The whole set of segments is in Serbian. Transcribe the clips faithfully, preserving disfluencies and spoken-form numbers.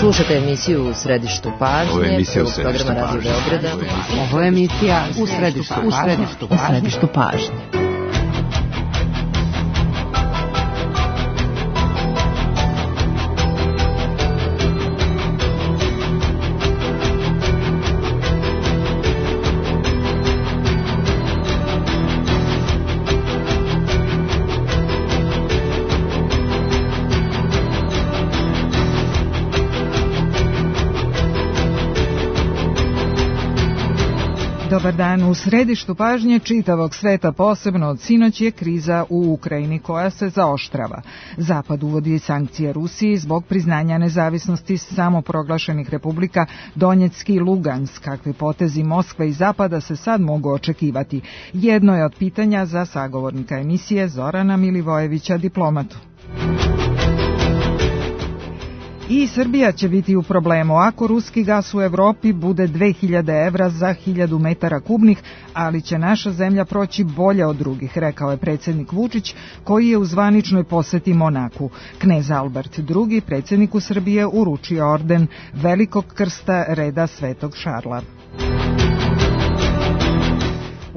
Slušajte emisiju U središtu pažnje. Ovo je emisija U središtu programa Radio Beograda. Ovo je emisija U središtu pažnje. U središtu pažnje. Dobar dan. U središtu pažnje čitavog sveta, posebno od sinoć, je kriza u Ukrajini koja se zaoštrava. Zapad uvodi sankcije Rusiji zbog priznanja nezavisnosti samoproglašenih republika Donjecki i Lugansk. Kakvi potezi Moskve i Zapada se sad mogu očekivati? Jedno je od pitanja za sagovornika emisije Zorana Milivojevića, diplomatu. I Srbija će biti u problemu ako ruski gas u Evropi bude dve hiljade evra za hiljadu metara kubnih, ali će naša zemlja proći bolje od drugih, rekao je predsjednik Vučić, koji je u zvaničnoj poseti Monaku. Knez Albert drugi, predsjedniku Srbije, uručio orden Velikog krsta reda Svetog Šarla.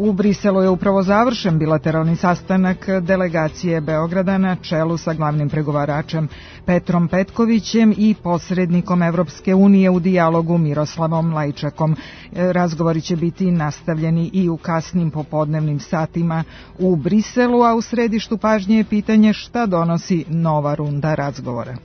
U Briselu je upravo završen bilateralni sastanak delegacije Beograda na čelu sa glavnim pregovaračem Petrom Petkovićem i posrednikom Evropske unije u dijalogu Miroslavom Lajčakom. Razgovori će biti nastavljeni i u kasnim popodnevnim satima u Briselu, a u središtu pažnje je pitanje šta donosi nova runda razgovora.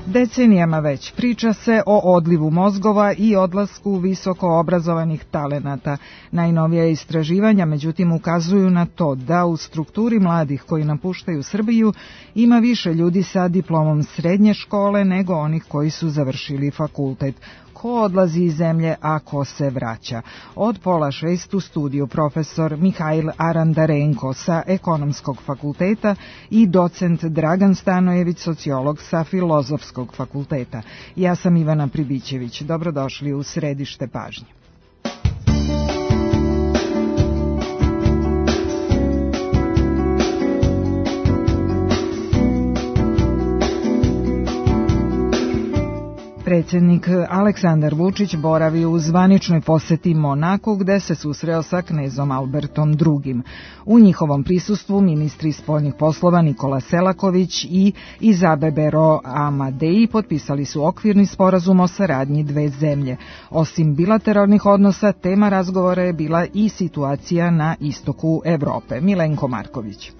Decenijama već priča se o odlivu mozgova i odlasku visoko obrazovanih talenata. Najnovija istraživanja, međutim, ukazuju na to da u strukturi mladih koji napuštaju Srbiju ima više ljudi sa diplomom srednje škole nego onih koji su završili fakultet. Ko odlazi iz zemlje, a ko se vraća? Od pola šest u studiju profesor Mihail Arandarenko sa Ekonomskog fakulteta i docent Dragan Stanojević, sociolog sa Filozofskog fakulteta. Ja sam Ivana Pribićević. Dobrodošli u središte pažnje. Predsjednik Aleksandar Vučić boravi u zvaničnoj poseti Monaku, gde se susreo sa knezom Albertom drugim. U njihovom prisustvu ministri spoljnih poslova Nikola Selaković i Izabebero Amadei potpisali su okvirni sporazum o saradnji dve zemlje. Osim bilateralnih odnosa, tema razgovora je bila i situacija na istoku Evrope. Milenko Marković.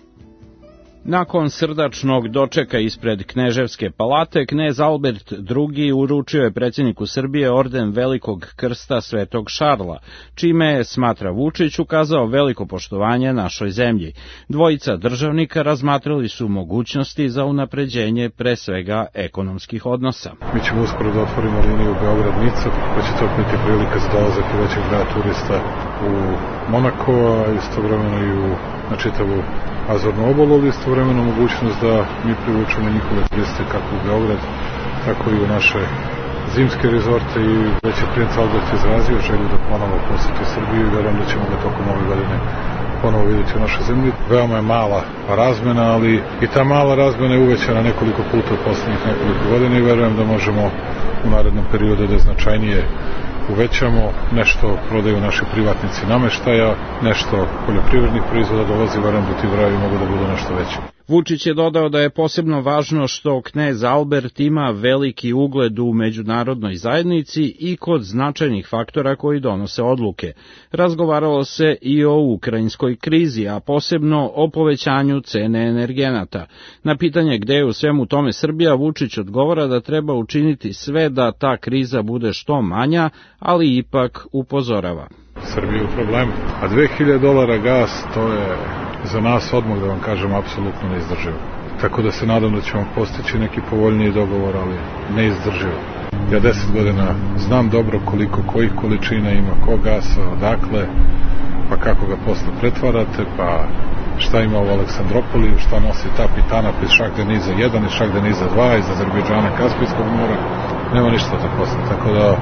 Nakon srdačnog dočeka ispred Kneževske palate, knez Albert drugi uručio je predsjedniku Srbije orden Velikog krsta Svetog Šarla, čime je, smatra Vučić, ukazao veliko poštovanje našoj zemlji. Dvojica državnika razmatrali su mogućnosti za unapređenje pre svega ekonomskih odnosa. Mi ćemo uskoro da otvorimo liniju Beograd-Nica, pa će to biti prilika za dolazak i većeg broja turista u Monako, a istovremeno i u, na čitavu Azornu obalu, ali istovremeno mogućnost da mi privučemo njihove turiste kako u Beograd, tako i u naše zimske rezorte, i već je princ Albert izrazio želju da ponovo poseti Srbiju i verujem da ćemo ga tokom ove godine ponovo vidjeti u našoj zemlji. Veoma je mala razmena, ali i ta mala razmena je uvećana nekoliko puta u poslednjih nekoliko godina i verujem da možemo u narednom periodu da značajnije uvećamo, nešto prodaju naši privatnici nameštaja, nešto poljoprivrednih proizvoda dolazi, verujem da ti brojevi mogu da budu nešto veći. Vučić je dodao da je posebno važno što knez Albert ima veliki ugled u međunarodnoj zajednici i kod značajnih faktora koji donose odluke. Razgovaralo se i o ukrajinskoj krizi, a posebno o povećanju cene energenata. Na pitanje gde je u svemu tome Srbija, Vučić odgovara da treba učiniti sve da ta kriza bude što manja, ali ipak upozorava. Srbija je u problemu, a dve hiljade dolara gas, to je za nas odmah, da vam kažem, apsolutno neizdrživo. Tako da se nadam da ćemo postići neki povoljniji dogovor, ali neizdrživo. Ja deset godina znam dobro koliko kojih količina ima ko gasa, odakle, pa kako ga posle pretvarate, pa šta ima u Aleksandropoliju, šta nosi ta pitana iz Šah-Deniza jedan i Šah-Deniza dva iz Azerbejdžana, Kaspijskog mora, nema ništa to posle, tako da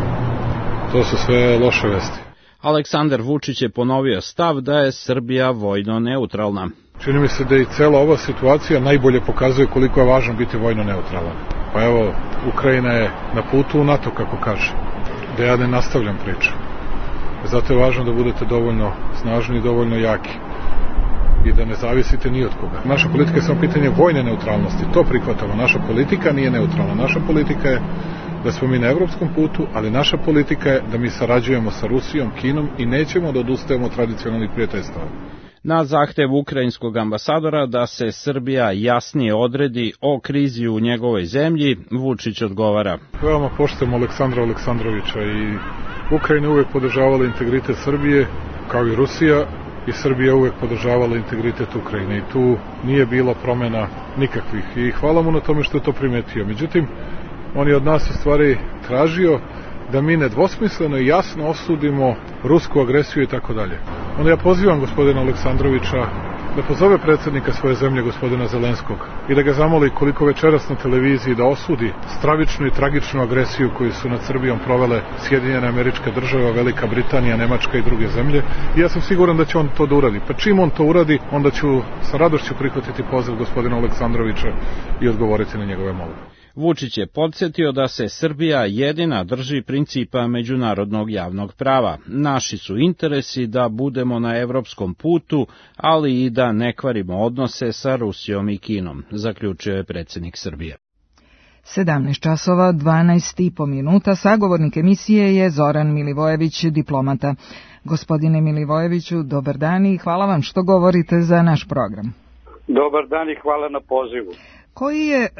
to su sve loše vesti. Aleksandar Vučić je ponovio stav da je Srbija vojno neutralna. Čini mi se da i cela ova situacija najbolje pokazuje koliko je važno biti vojno neutralan. Pa evo, Ukrajina je na putu u NATO, kako kaže, da ja ne nastavljam priču. Zato je važno da budete dovoljno snažni i dovoljno jaki i da ne zavisite ni od koga. Naša politika je samo pitanje vojne neutralnosti, to prihvatamo. Naša politika nije neutralna. Naša politika je da smo mi na evropskom putu, ali naša politika je da mi sarađujemo sa Rusijom, Kinom i nećemo da odustajemo od tradicionalnih prijateljstava. Na zahtev ukrajinskog ambasadora da se Srbija jasnije odredi o krizi u njegovoj zemlji, Vučić odgovara. Veoma poštujemo Aleksandra Aleksandrovića i Ukrajina uvek podržavala integritet Srbije, kao i Rusija, i Srbija uvek podržavala integritet Ukrajine i tu nije bilo promena nikakvih i hvala mu na tome što je to primetio. Međutim, on je od nas u stvari tražio da mi nedvosmisleno i jasno osudimo rusku agresiju i tako dalje. Onda ja pozivam gospodina Aleksandrovića da pozove predsjednika svoje zemlje, gospodina Zelenskog, i da ga zamoli koliko večeras na televiziji da osudi stravičnu i tragičnu agresiju koju su nad Srbijom provele Sjedinjene Američke Države, Velika Britanija, Nemačka i druge zemlje. I ja sam siguran da će on to da uradi. Pa čim on to uradi, onda ću sa radošću prihvatiti poziv gospodina Aleksandrovića i odgovoriti na njegove molbe. Vučić je podsjetio da se Srbija jedina drži principa međunarodnog javnog prava. Naši su interesi da budemo na evropskom putu, ali i da ne kvarimo odnose sa Rusijom i Kinom, zaključio je predsjednik Srbije. sedamnaest časova dvanaest i po minuta, sagovornik emisije je Zoran Milivojević, diplomata. Gospodine Milivojeviću, dobar dan i hvala vam što govorite za naš program. Dobar dan i hvala na pozivu. Koji je e,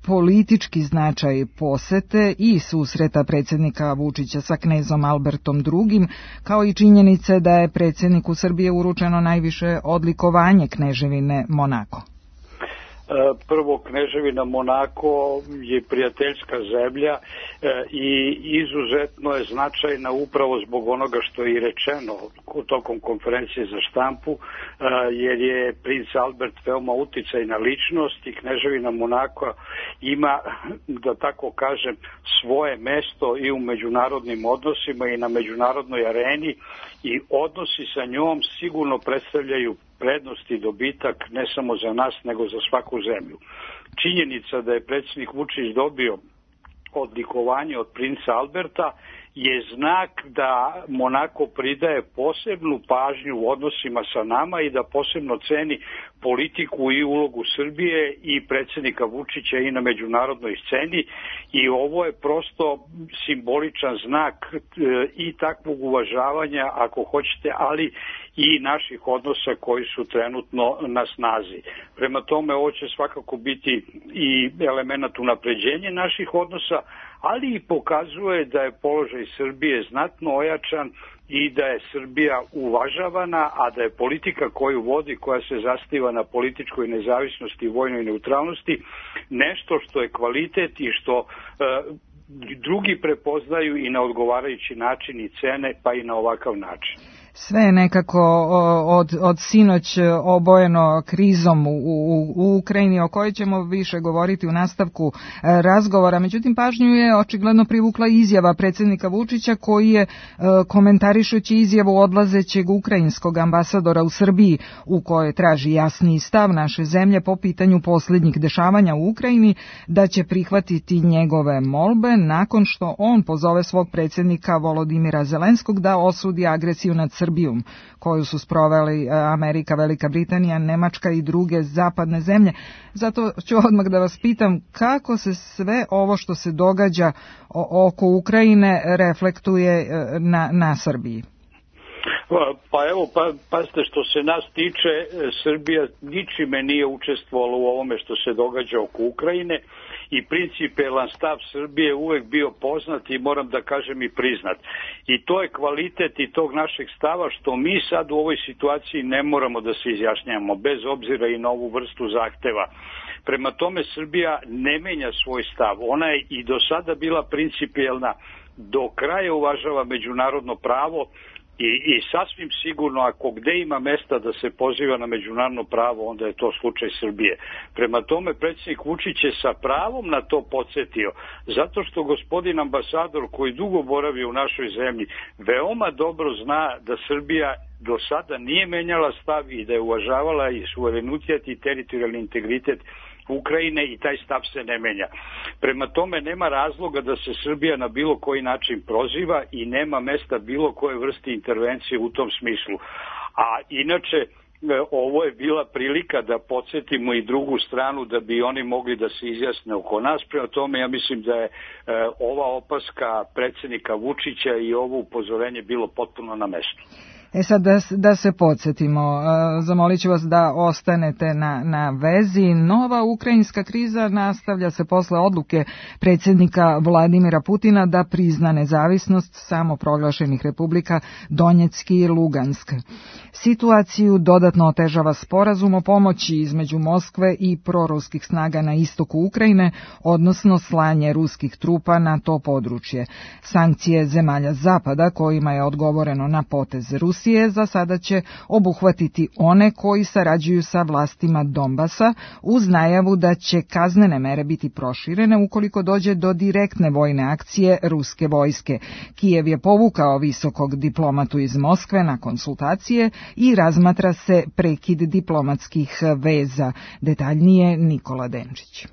politički značaj posete i susreta predsjednika Vučića sa knezom Albertom drugim, kao i činjenice da je predsjedniku Srbije uručeno najviše odlikovanje Kneževine Monako? Prvo, Kneževina Monako je prijateljska zemlja i izuzetno je značajna upravo zbog onoga što je i rečeno tokom konferencije za štampu, jer je princ Albert veoma uticajna ličnost i Kneževina Monako ima, da tako kažem, svoje mesto i u međunarodnim odnosima i na međunarodnoj areni i odnosi sa njom sigurno predstavljaju prednost i dobitak ne samo za nas, nego za svaku zemlju. Činjenica da je predsjednik Vučić dobio odlikovanje od princa Alberta je znak da Monako pridaje posebnu pažnju u odnosima sa nama i da posebno ceni politiku i ulogu Srbije i predsjednika Vučića i na međunarodnoj sceni i ovo je prosto simboličan znak i takvog uvažavanja, ako hoćete, ali i naših odnosa koji su trenutno na snazi. Prema tome, ovo će svakako biti i element unapređenja naših odnosa, ali i pokazuje da je položaj Srbije znatno ojačan i da je Srbija uvažavana, a da je politika koju vodi, koja se zasniva na političkoj nezavisnosti i vojnoj neutralnosti, nešto što je kvalitet i što e, drugi prepoznaju i na odgovarajući način i cene, pa i na ovakav način. Sve je nekako od, od sinoć obojeno krizom u, u, u Ukrajini, o kojoj ćemo više govoriti u nastavku razgovora. Međutim, pažnju je očigledno privukla izjava predsjednika Vučića koji je, komentarišući izjavu odlazećeg ukrajinskog ambasadora u Srbiji, u kojoj traži jasniji stav naše zemlje po pitanju posljednjih dešavanja u Ukrajini, da će prihvatiti njegove molbe nakon što on pozove svog predsjednika Volodimira Zelenskog da osudi agresiju nad Srbijom, koju su sproveli Amerika, Velika Britanija, Nemačka i druge zapadne zemlje. Zato ću odmah da vas pitam kako se sve ovo što se događa oko Ukrajine reflektuje na, na Srbiji. Pa evo, pa, pazite, što se nas tiče, Srbija ničime nije učestvovala u ovome što se događa oko Ukrajine i principijelan stav Srbije uvek bio poznat i moram da kažem i priznat. I to je kvalitet i tog našeg stava što mi sad u ovoj situaciji ne moramo da se izjašnjamo, bez obzira i na ovu vrstu zahteva. Prema tome, Srbija ne menja svoj stav. Ona je i do sada bila principijelna, do kraja uvažava međunarodno pravo, I, I sasvim sigurno, ako gde ima mesta da se poziva na međunarodno pravo, onda je to slučaj Srbije. Prema tome, predsjednik Vučić je sa pravom na to podsjetio, zato što gospodin ambasador koji dugo boravi u našoj zemlji veoma dobro zna da Srbija do sada nije menjala stav i da je uvažavala i suverenitet i teritorijalni integritet Ukrajine i taj stav se ne menja. Prema tome nema razloga da se Srbija na bilo koji način proziva i nema mesta bilo koje vrste intervencije u tom smislu. A inače, ovo je bila prilika da podsjetimo i drugu stranu da bi oni mogli da se izjasne oko nas. Prema tome ja mislim da je ova opaska predsjednika Vučića i ovo upozorenje bilo potpuno na mestu. E sad da, da se podsjetimo, zamolit ću vas da ostanete na, na vezi. Nova ukrajinska kriza nastavlja se posle odluke predsjednika Vladimira Putina da prizna nezavisnost samoproglašenih republika Donjecki i Lugansk. Situaciju dodatno otežava sporazum o pomoći između Moskve i proruskih snaga na istoku Ukrajine, odnosno slanje ruskih trupa na to područje. Sankcije zemalja Zapada kojima je odgovoreno na potez Rusije za sada će obuhvatiti one koji sarađuju sa vlastima Donbasa uz najavu da će kaznene mere biti proširene ukoliko dođe do direktne vojne akcije ruske vojske. Kijev je povukao visokog diplomatu iz Moskve na konsultacije i razmatra se prekid diplomatskih veza. Detaljnije Nikola Denčić.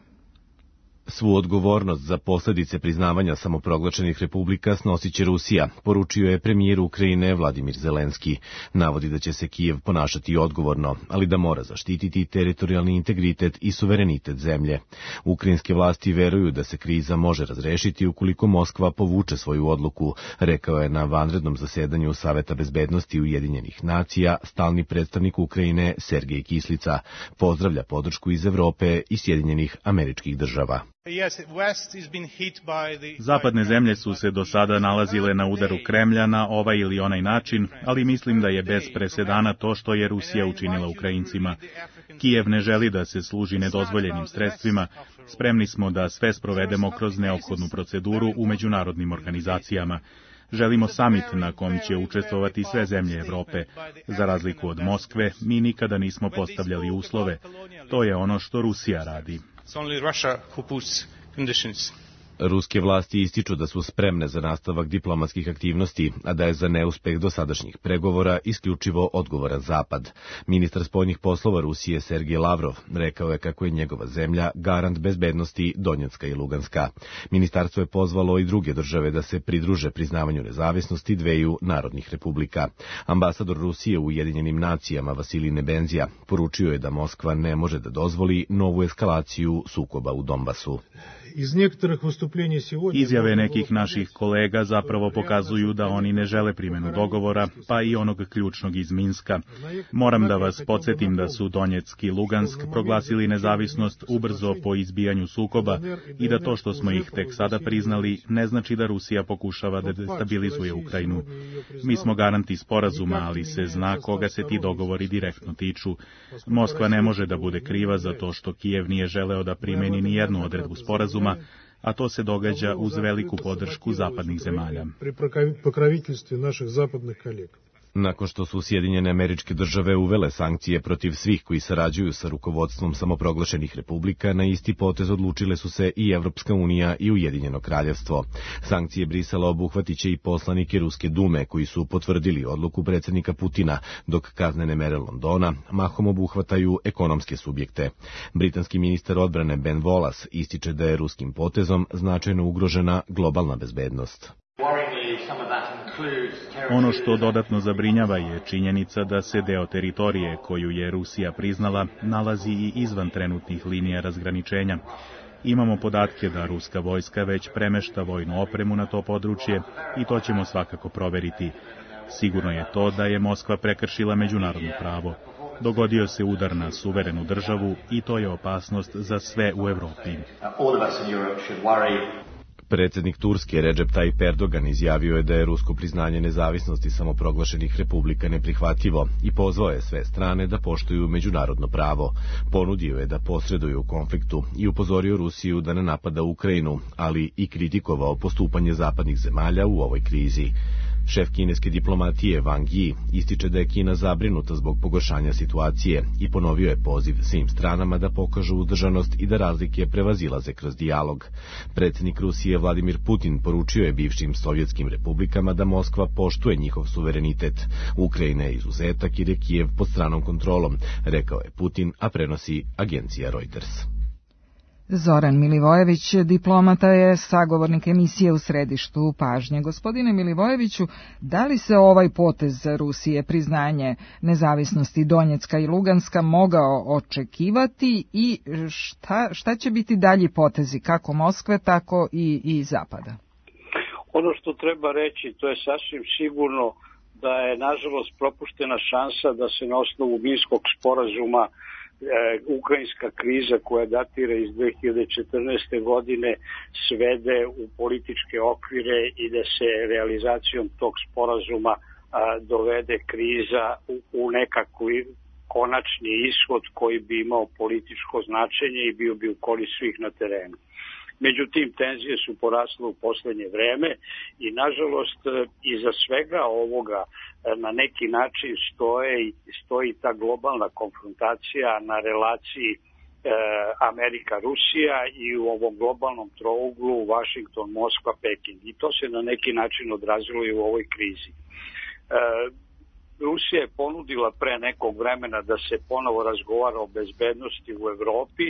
Svu odgovornost za posljedice priznavanja samoproglašenih republika snosit će Rusija, poručio je premijer Ukrajine Vladimir Zelenski. Navodi da će se Kijev ponašati odgovorno, ali da mora zaštititi teritorijalni integritet i suverenitet zemlje. Ukrajinske vlasti veruju da se kriza može razrešiti ukoliko Moskva povuče svoju odluku, rekao je na vanrednom zasedanju Saveta bezbednosti Ujedinjenih nacija stalni predstavnik Ukrajine Sergej Kislica. Pozdravlja podršku iz Evrope i Sjedinjenih Američkih Država. Zapadne zemlje su se do sada nalazile na udaru Kremlja na ovaj ili onaj način, ali mislim da je bez presedana to što je Rusija učinila Ukrajincima. Kijev ne želi da se služi nedozvoljenim sredstvima, spremni smo da sve sprovedemo kroz neophodnu proceduru u međunarodnim organizacijama. Želimo samit na kom će učestvovati sve zemlje Evrope. Za razliku od Moskve, mi nikada nismo postavljali uslove. To je ono što Rusija radi. Ruske vlasti ističu da su spremne za nastavak diplomatskih aktivnosti, a da je za neuspeh dosadašnjih pregovora isključivo odgovoran Zapad. Ministar spoljnih poslova Rusije Sergej Lavrov rekao je kako je njegova zemlja garant bezbednosti Donjecka i Luganska. Ministarstvo je pozvalo i druge države da se pridruže priznavanju nezavisnosti dveju narodnih republika. Ambasador Rusije u Ujedinjenim nacijama Vasilij Nebenzija poručio je da Moskva ne može da dozvoli novu eskalaciju sukoba u Donbasu. Izjave nekih naših kolega zapravo pokazuju da oni ne žele primjenu dogovora, pa i onog ključnog iz Minska. Moram da vas podsjetim da su Donjeck i Lugansk proglasili nezavisnost ubrzo po izbijanju sukoba i da to što smo ih tek sada priznali ne znači da Rusija pokušava da destabilizuje Ukrajinu. Mi smo garanti sporazuma, ali se zna koga se ti dogovori direktno tiču. Moskva ne može da bude kriva za to što Kijev nije želeo da primeni ni jednu odredbu sporazuma, a to se događa uz veliku podršku zapadnih zemalja. Nakon što su Sjedinjene Američke Države uvele sankcije protiv svih koji sarađuju sa rukovodstvom samoproglašenih republika, na isti potez odlučile su se i Evropska unija i Ujedinjeno kraljevstvo. Sankcije Brisela obuhvatit će i poslanike Ruske dume koji su potvrdili odluku predsjednika Putina, dok kaznene mere Londona mahom obuhvataju ekonomske subjekte. Britanski ministar odbrane Ben Wallace ističe da je ruskim potezom značajno ugrožena globalna bezbednost. Ono što dodatno zabrinjava je činjenica da se deo teritorije koju je Rusija priznala nalazi i izvan trenutnih linija razgraničenja. Imamo podatke da ruska vojska već premešta vojnu opremu na to područje i to ćemo svakako proveriti. Sigurno je to da je Moskva prekršila međunarodno pravo. Dogodio se udar na suverenu državu i to je opasnost za sve u Evropi. Predsjednik Turske Recep Tayyip Erdogan izjavio je da je rusko priznanje nezavisnosti samoproglašenih republika neprihvatljivo i pozvao je sve strane da poštuju međunarodno pravo. Ponudio je da posreduju u konfliktu i upozorio Rusiju da ne napada Ukrajinu, ali i kritikovao postupanje zapadnih zemalja u ovoj krizi. Šef kineske diplomatije Wang Yi ističe da je Kina zabrinuta zbog pogoršanja situacije i ponovio je poziv svim stranama da pokažu uzdržanost i da razlike prevazilaze kroz dijalog. Predsjednik Rusije Vladimir Putin poručio je bivšim sovjetskim republikama da Moskva poštuje njihov suverenitet. Ukrajina je izuzetak jer je Kijev pod stranom kontrolom, rekao je Putin, a prenosi agencija Reuters. Zoran Milivojević, diplomata, je sagovornik emisije U središtu pažnje. Gospodine Milivojeviću, da li se ovaj potez Rusije, priznanje nezavisnosti Donjecka i Luganska, mogao očekivati i šta, šta će biti dalji potezi, kako Moskve, tako i, i Zapada? Ono što treba reći, to je sasvim sigurno da je nažalost propuštena šansa da se na osnovu Minskog sporazuma E, ukrajinska kriza koja datira iz dve hiljade četrnaeste. godine svede u političke okvire i da se realizacijom tog sporazuma a, dovede kriza u, u nekakvi konačni ishod koji bi imao političko značenje i bio bi u korist svih na terenu. Međutim, tenzije su porasle u poslednje vreme i nažalost iza svega ovoga na neki način stoje, stoji ta globalna konfrontacija na relaciji e, Amerika-Rusija i u ovom globalnom trouglu Washington-Moskva-Peking. I to se na neki način odrazilo i u ovoj krizi. E, Rusija je ponudila pre nekog vremena da se ponovo razgovara o bezbednosti u Evropi,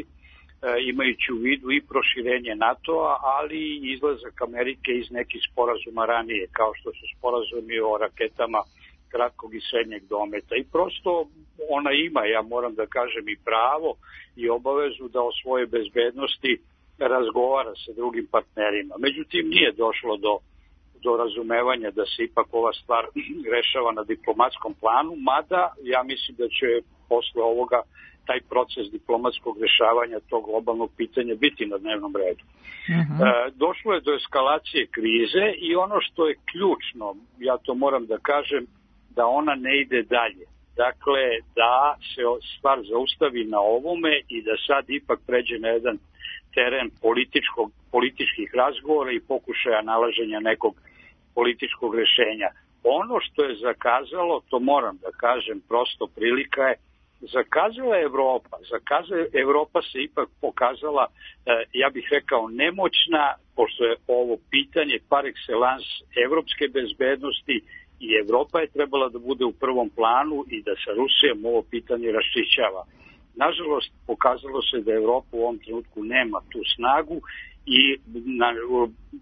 imajući u vidu i proširenje NATO-a, ali i izlazak Amerike iz nekih sporazuma ranije, kao što su sporazumi o raketama kratkog i srednjeg dometa. I prosto ona ima, ja moram da kažem, i pravo i obavezu da o svojoj bezbednosti razgovara sa drugim partnerima. Međutim, nije došlo do, do razumevanja da se ipak ova stvar rešava na diplomatskom planu, mada ja mislim da će posle ovoga taj proces diplomatskog rešavanja tog globalnog pitanja biti na dnevnom redu. Uh-huh. E, došlo je do eskalacije krize i ono što je ključno, ja to moram da kažem, da ona ne ide dalje. Dakle, da se stvar zaustavi na ovome i da sad ipak pređe na jedan teren političkog, političkih razgovora i pokušaja nalaženja nekog političkog rešenja. Ono što je zakazalo, to moram da kažem, prosto prilika je, zakazala je Evropa. Zakazala, Evropa se ipak pokazala, ja bih rekao, nemoćna, pošto je ovo pitanje par excellence evropske bezbednosti i Evropa je trebala da bude u prvom planu i da sa Rusijom ovo pitanje raščišćava. Nažalost, pokazalo se da Evropa u ovom trenutku nema tu snagu i na,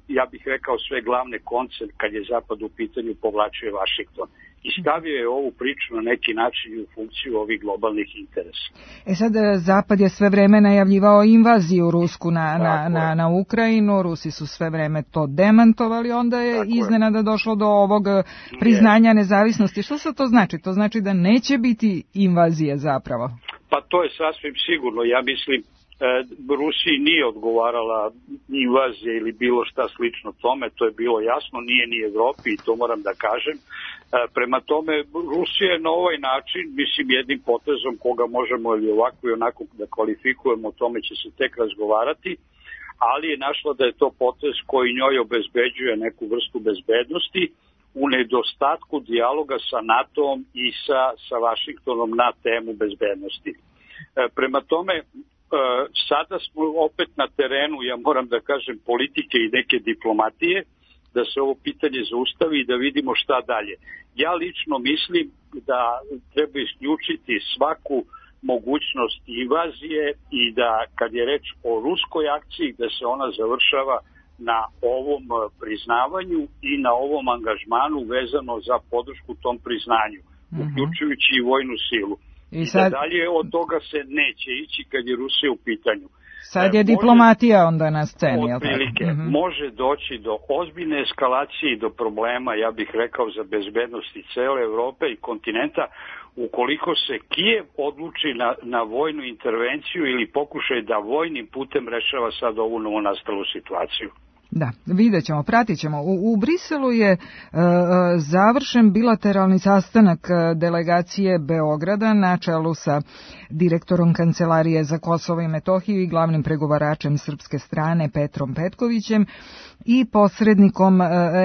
ja bih rekao sve glavne konce kad je Zapad u pitanju povlačio Vašington. I stavio je ovu priču na neki način u funkciju ovih globalnih interesa. E sad, Zapad je sve vreme najavljivao invaziju rusku na, na, na, na Ukrajinu, Rusi su sve vreme to demantovali, onda je Tako iznenada je. došlo do ovog priznanja nezavisnosti. Što se to znači? To znači da neće biti invazije zapravo? Pa to je sasvim sigurno, ja mislim. Rusiji nije odgovarala invazija ili bilo šta slično tome, to je bilo jasno, nije ni Evropi i to moram da kažem. Prema tome, Rusija je na ovaj način, mislim jednim potezom koga možemo ili ovako i onako da kvalifikujemo, o tome će se tek razgovarati, ali je našla da je to potez koji njoj obezbeđuje neku vrstu bezbednosti u nedostatku dijaloga sa NATO-om i sa, sa Vašingtonom na temu bezbednosti. Prema tome, sada smo opet na terenu, ja moram da kažem, politike i neke diplomatije, da se ovo pitanje zaustavi i da vidimo šta dalje. Ja lično mislim da treba isključiti svaku mogućnost invazije i da kad je reč o ruskoj akciji, da se ona završava na ovom priznavanju i na ovom angažmanu vezano za podršku tom priznanju, uh-huh. uključujući i vojnu silu. I, I sad... da dalje od toga se neće ići kad je Rusija u pitanju. Sad je e, diplomatija može, onda na sceni. Otprilike, uh-huh. može doći do ozbiljne eskalacije i do problema, ja bih rekao, za bezbednosti cele Evrope i kontinenta, ukoliko se Kijev odluči na, na vojnu intervenciju ili pokušaj da vojnim putem rešava sad ovu novonastalu situaciju. Da, vidjet ćemo, pratit ćemo. U, u Briselu je e, završen bilateralni sastanak delegacije Beograda na čelu sa direktorom Kancelarije za Kosovo i Metohiju i glavnim pregovaračem srpske strane Petrom Petkovićem i posrednikom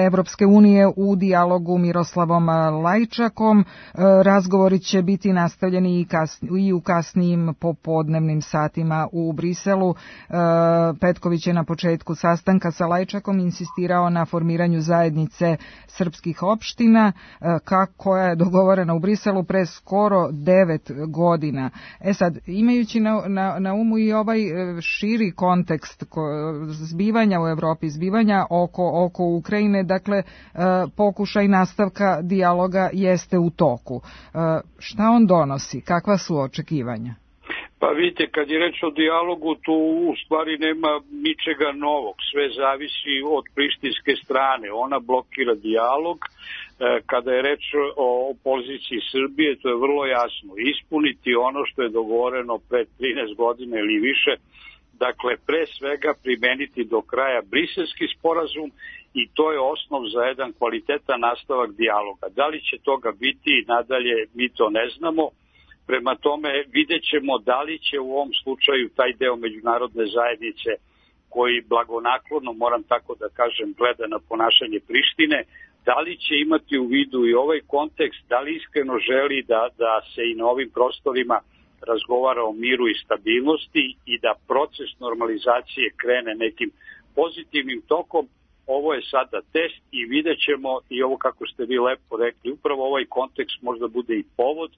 Evropske unije u dijalogu Miroslavom Lajčakom. Razgovori će biti nastavljeni i, kasni, i u kasnijim popodnevnim satima u Briselu. Petković je na početku sastanka sa Lajčakom insistirao na formiranju zajednice srpskih opština, koja je dogovorena u Briselu pre skoro devet godina. E sad, imajući na, na, na umu i ovaj širi kontekst zbivanja u Evropi, zbivanja oko, oko Ukrajine, dakle, pokušaj nastavka dijaloga jeste u toku. Šta on donosi? Kakva su očekivanja? Pa vidite, kad je reč o dijalogu, tu u stvari nema ničega novog. Sve zavisi od prištinske strane. Ona blokira dijalog. Kada je reč o poziciji Srbije, to je vrlo jasno. Ispuniti ono što je dogovoreno pre trinaest godina ili više. Dakle, pre svega primeniti do kraja Briselski sporazum i to je osnov za jedan kvalitetan nastavak dijaloga. Da li će toga biti nadalje, mi to ne znamo. Prema tome vidjet ćemo da li će u ovom slučaju taj deo međunarodne zajednice koji blagonaklono, moram tako da kažem, gleda na ponašanje Prištine, da li će imati u vidu i ovaj kontekst, da li iskreno želi da, da se i na ovim prostorima razgovara o miru i stabilnosti i da proces normalizacije krene nekim pozitivnim tokom. Ovo je sada test i vidjet ćemo, i ovo kako ste vi lepo rekli, upravo ovaj kontekst možda bude i povod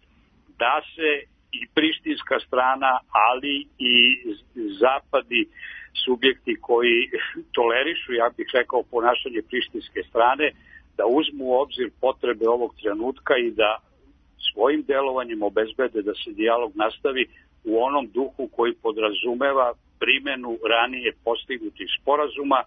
da se i prištinska strana, ali i zapadi subjekti koji tolerišu, ja bih rekao, ponašanje prištinske strane, da uzmu u obzir potrebe ovog trenutka i da svojim delovanjem obezbede da se dijalog nastavi u onom duhu koji podrazumeva primenu ranije postignutih sporazuma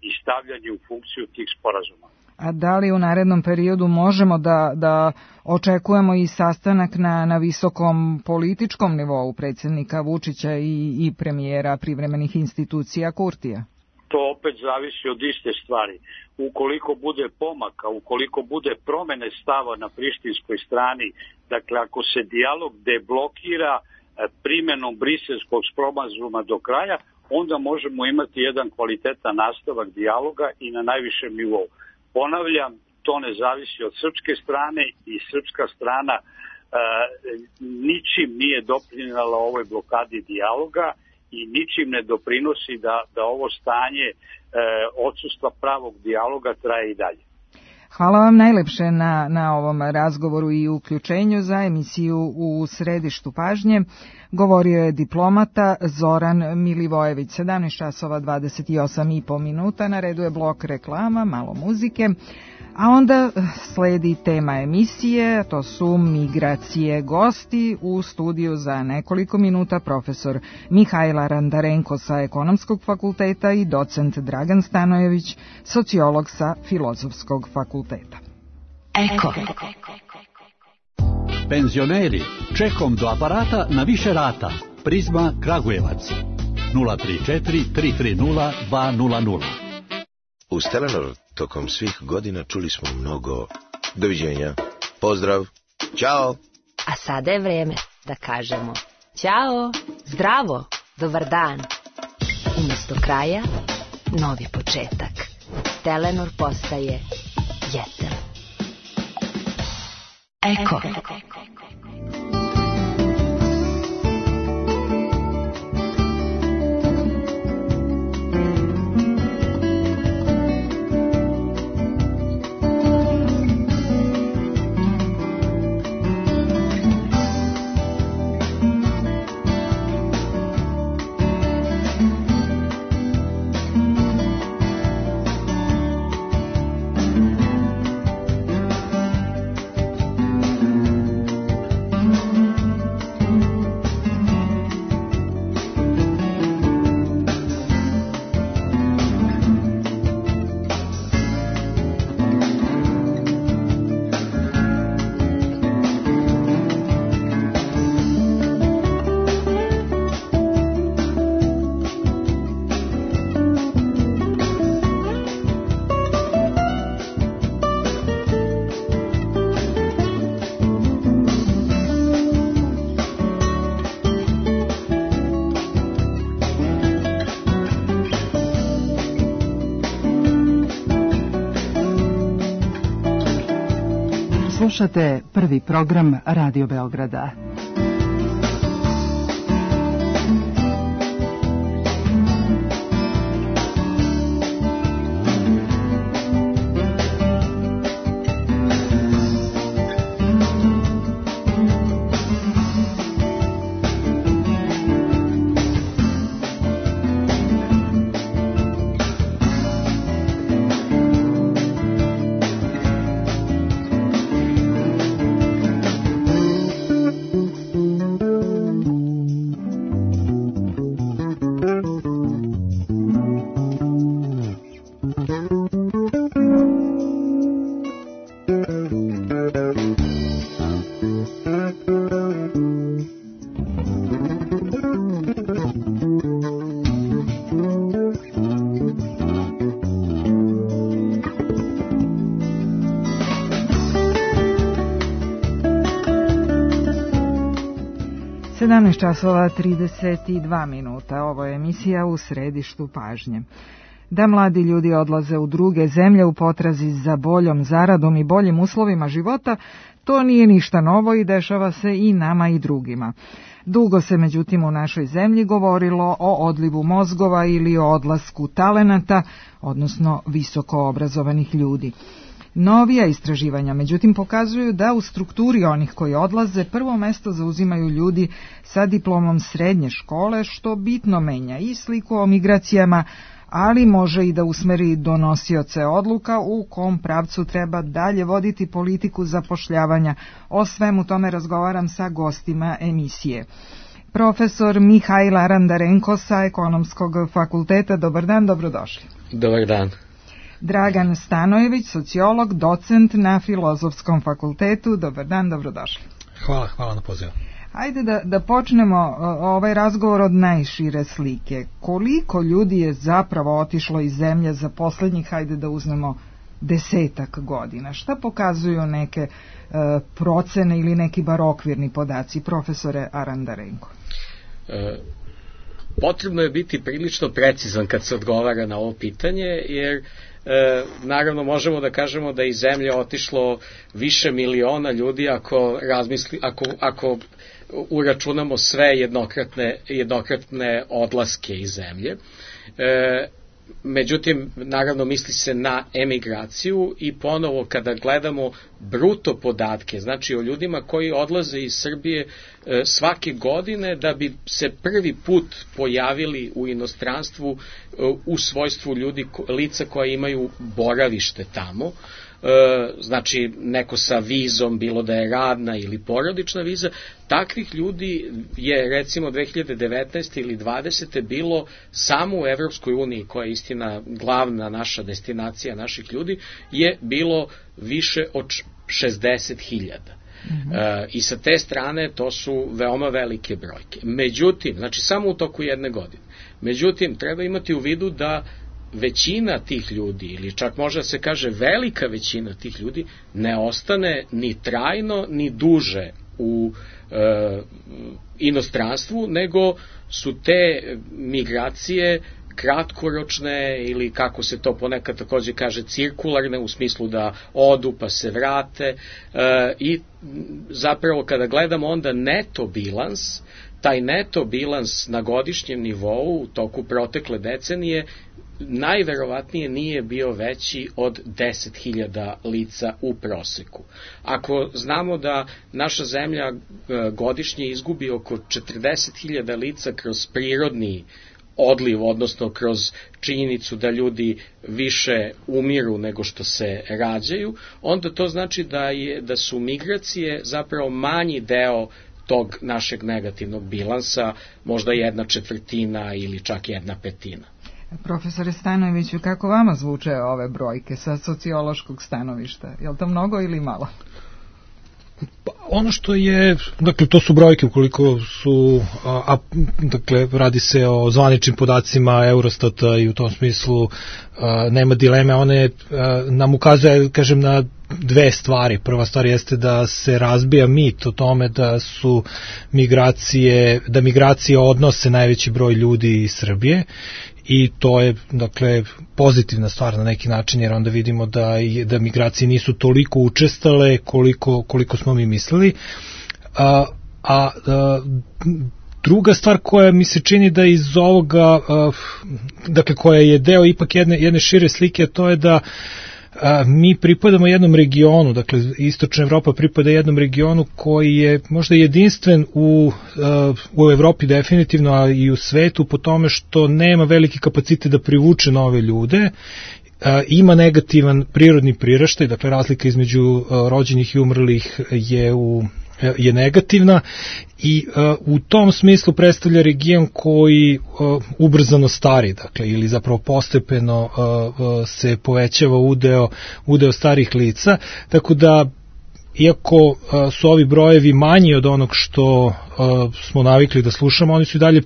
i stavljanje u funkciju tih sporazuma. A da li u narednom periodu možemo da, da očekujemo i sastanak na, na visokom političkom nivou predsjednika Vučića i, i premijera privremenih institucija Kurtija? To opet zavisi od iste stvari. Ukoliko bude pomaka, ukoliko bude promene stava na prištinskoj strani, dakle ako se dijalog deblokira primenom briselskog sporazuma do kraja, onda možemo imati jedan kvalitetan nastavak dijaloga i na najvišem nivou. Ponavljam, to ne zavisi od srpske strane i srpska strana e, ničim nije doprinjala ovoj blokadi dijaloga i ničim ne doprinosi da, da ovo stanje e, odsustva pravog dijaloga traje i dalje. Hvala vam najlepše na, na ovom razgovoru i uključenju za emisiju U središtu pažnje. Govorio je diplomata Zoran Milivojević. sedamnaest časova dvadeset osam i po minuta, na redu je blok reklama, malo muzike, a onda sledi tema emisije, to su migracije. Gosti u studiju za nekoliko minuta profesor Mihajla Randarenko sa Ekonomskog fakulteta i docent Dragan Stanojević, sociolog sa Filozofskog fakulteta. Eko. Penzioneri, čekom do aparata na više rata. Prizma Kragujevac. nula tri četiri tri tri nula dva nula nula. U Telenor tokom svih godina čuli smo mnogo doviđenja, pozdrav, ćao. A sada je vreme da kažemo ćao, zdravo, dobar dan. Umjesto kraja, novi početak. Telenor postaje Jetel. Eko. Slušate prvi program Radio Beograda. sedamnaest časova trideset dva minuta. Ovo je emisija U središtu pažnje. Da mladi ljudi odlaze u druge zemlje u potrazi za boljom zaradom i boljim uslovima života, to nije ništa novo i dešava se i nama i drugima. Dugo se međutim u našoj zemlji govorilo o odlivu mozgova ili o odlasku talenata, odnosno visoko obrazovanih ljudi. Novija istraživanja, međutim, pokazuju da u strukturi onih koji odlaze prvo mesto zauzimaju ljudi sa diplomom srednje škole, što bitno menja i sliku o migracijama, ali može i da usmeri donosioce odluka u kom pravcu treba dalje voditi politiku zapošljavanja. O svemu tome razgovaram sa gostima emisije. Profesor Mihajl Arandarenko sa Ekonomskog fakulteta. Dobar dan, dobrodošli. Dobar dan. Dragan Stanojević, sociolog, docent na Filozofskom fakultetu. Dobar dan, dobrodošli. Hvala, hvala na pozivu. Ajde da, da počnemo ovaj razgovor od najšire slike. Koliko ljudi je zapravo otišlo iz zemlje za posljednjih, hajde da uzmemo, desetak godina? Šta pokazuju neke e, procene ili neki bar okvirni podaci, profesore Arandarenko? E, potrebno je biti prilično precizan kad se odgovara na ovo pitanje, jer E, naravno možemo da kažemo da iz zemlje otišlo više miliona ljudi ako razmisli, ako, ako uračunamo sve jednokratne, jednokratne odlaske iz zemlje. E, međutim, naravno misli se na emigraciju i ponovo kada gledamo bruto podatke, znači o ljudima koji odlaze iz Srbije e, svake godine da bi se prvi put pojavili u inostranstvu e, u svojstvu ljudi, lica koja imaju boravište tamo, e, znači neko sa vizom, bilo da je radna ili porodična viza, takvih ljudi je recimo dve hiljade devetnaeste ili dvadesete bilo samo u Evropskoj uniji, koja je istina glavna naša destinacija naših ljudi, je bilo više od šezdeset hiljada. Mm-hmm. E, I sa te strane to su veoma velike brojke. Međutim, znači samo u toku jedne godine. Međutim, treba imati u vidu da većina tih ljudi, ili čak može da se kaže velika većina tih ljudi, ne ostane ni trajno, ni duže u e, inostranstvu, nego su te migracije kratkoročne ili kako se to ponekad takođe kaže cirkularne, u smislu da odu pa se vrate e, i zapravo kada gledamo onda neto bilans, taj neto bilans na godišnjem nivou u toku protekle decenije najverovatnije nije bio veći od deset hiljada lica u proseku. Ako znamo da naša zemlja godišnje izgubi oko četrdeset hiljada lica kroz prirodni odliv, odnosno kroz činjenicu da ljudi više umiru nego što se rađaju, onda to znači da, je, da su migracije zapravo manji deo tog našeg negativnog bilansa, možda jedna četvrtina ili čak jedna petina. Profesore Stanojeviću, kako vama zvuče ove brojke sa sociološkog stanovišta? Je li to mnogo ili malo? Pa ono što je, dakle, to su brojke ukoliko su, a, a, dakle, radi se o zvaničnim podacima Eurostata i u tom smislu a, nema dileme, one a, nam ukazuje, kažem, na dve stvari. Prva stvar jeste da se razbija mit o tome da su migracije, da migracije odnose najveći broj ljudi iz Srbije i to je, dakle, pozitivna stvar na neki način, jer onda vidimo da, da migracije nisu toliko učestale koliko, koliko smo mi mislili. A, a, a druga stvar koja mi se čini da iz ovoga, a, dakle, koja je deo ipak jedne, jedne šire slike, to je da a, mi pripadamo jednom regionu, dakle, Istočna Evropa pripada jednom regionu koji je možda jedinstven u, a, u Evropi definitivno, a i u svetu po tome što nema veliki kapacitet da privuče nove ljude. A, ima negativan prirodni priraštaj, dakle, razlika između a, rođenih i umrlih je u je negativna i uh, u tom smislu predstavlja region koji uh, ubrzano stari, dakle, ili zapravo postepeno uh, uh, se povećava udeo, udeo starih lica, tako da iako uh, su ovi brojevi manji od onog što uh, smo navikli da slušamo, oni su i dalje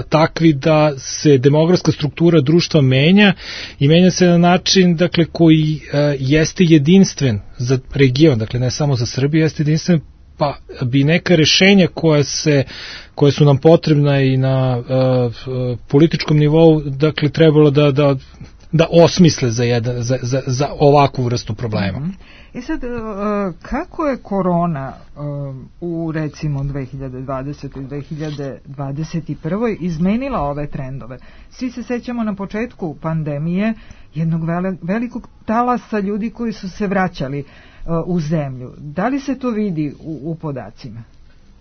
takvi da se demografska struktura društva menja i menja se na način, dakle, koji jeste jedinstven za region, dakle ne samo za Srbiju, jeste jedinstven, pa bi neka rešenja koja se koje su nam potrebna i na uh, političkom nivou, dakle, trebalo da da da osmisle za jedan za za za ovakvu vrstu problema. Mm-hmm. I sad, kako je korona u, recimo, dve hiljade dvadesete i dve hiljade dvadeset prve izmenila ove trendove? Svi se sećamo na početku pandemije jednog velikog talasa ljudi koji su se vraćali u zemlju. Da li se to vidi u, u podacima?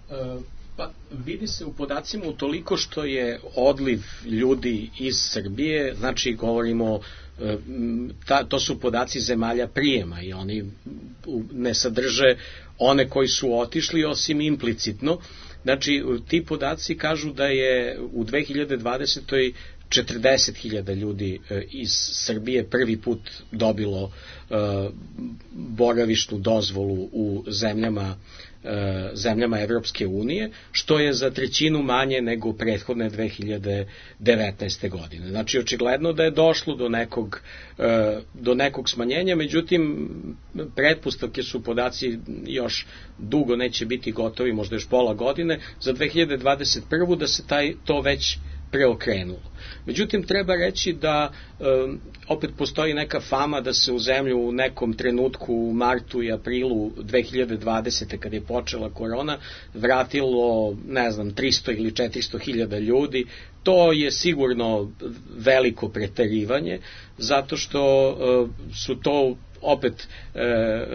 Uh... Pa, vidi se u podacima utoliko što je odliv ljudi iz Srbije, znači govorimo, ta, to su podaci zemalja prijema i oni ne sadrže one koji su otišli osim implicitno. Znači, ti podaci kažu da je u dve hiljade dvadesetoj četrdeset hiljada ljudi iz Srbije prvi put dobilo uh, boravišnu dozvolu u zemljama zemljama Evropske unije, što je za trećinu manje nego prethodne dve hiljade devetnaeste. godine. Znači, očigledno da je došlo do nekog, do nekog smanjenja, međutim, pretpostavke su, podaci još dugo neće biti gotovi, možda još pola godine, za dve hiljade dvadeset prvu da se taj, to već preokrenulo. Međutim, treba reći da um, opet postoji neka fama da se u zemlju u nekom trenutku u martu i aprilu dve hiljade dvadesete. kad je počela korona, vratilo, ne znam, tristo ili četiristo hiljada ljudi. To je sigurno veliko preterivanje, zato što uh, su to opet e,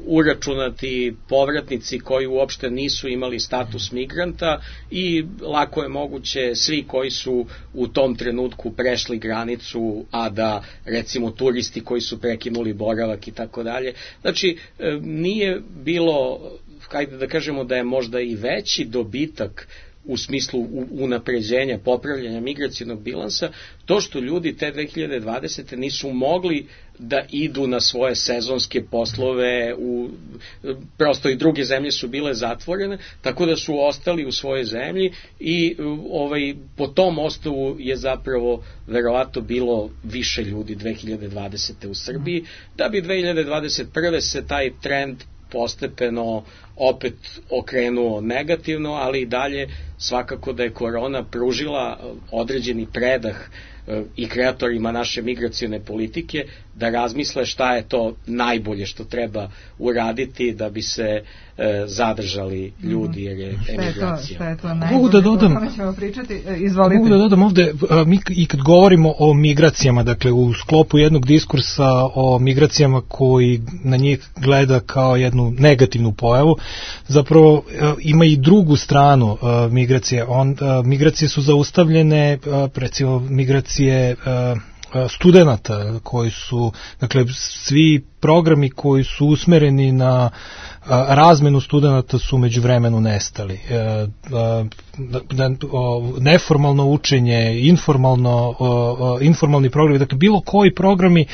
uračunati povratnici koji uopšte nisu imali status migranta i lako je moguće svi koji su u tom trenutku prešli granicu, a da, recimo, turisti koji su prekinuli boravak i tako dalje. Znači, e, nije bilo, hajde da kažemo da je možda i veći dobitak u smislu unapređenja, popravljanja migracionog bilansa, to što ljudi te dve hiljade dvadesete. nisu mogli da idu na svoje sezonske poslove, u, prosto i druge zemlje su bile zatvorene, tako da su ostali u svojoj zemlji i ovaj, po tom osnovu je zapravo verovatno bilo više ljudi dve hiljade dvadesete. u Srbiji, da bi dve hiljade dvadeset prve. se taj trend postepeno opet okrenuo negativno, ali i dalje svakako da je korona pružila određeni predah i kreatorima naše migracione politike da razmisle šta je to najbolje što treba uraditi da bi se e, zadržali ljudi, jer je emigracija. Šta je to, šta je to najbolje, da dodam, Izvolite. Mogu da dodam ovde, mi i kad govorimo o migracijama, dakle u sklopu jednog diskursa o migracijama koji na njih gleda kao jednu negativnu pojavu, zapravo ima i drugu stranu migracije. On, migracije su zaustavljene, recimo migracije studenata koji su, dakle, svi programi koji su usmereni na razmenu studenata su međuvremenu nestali. Neformalno učenje, informalno, informalni programi, dakle bilo koji programi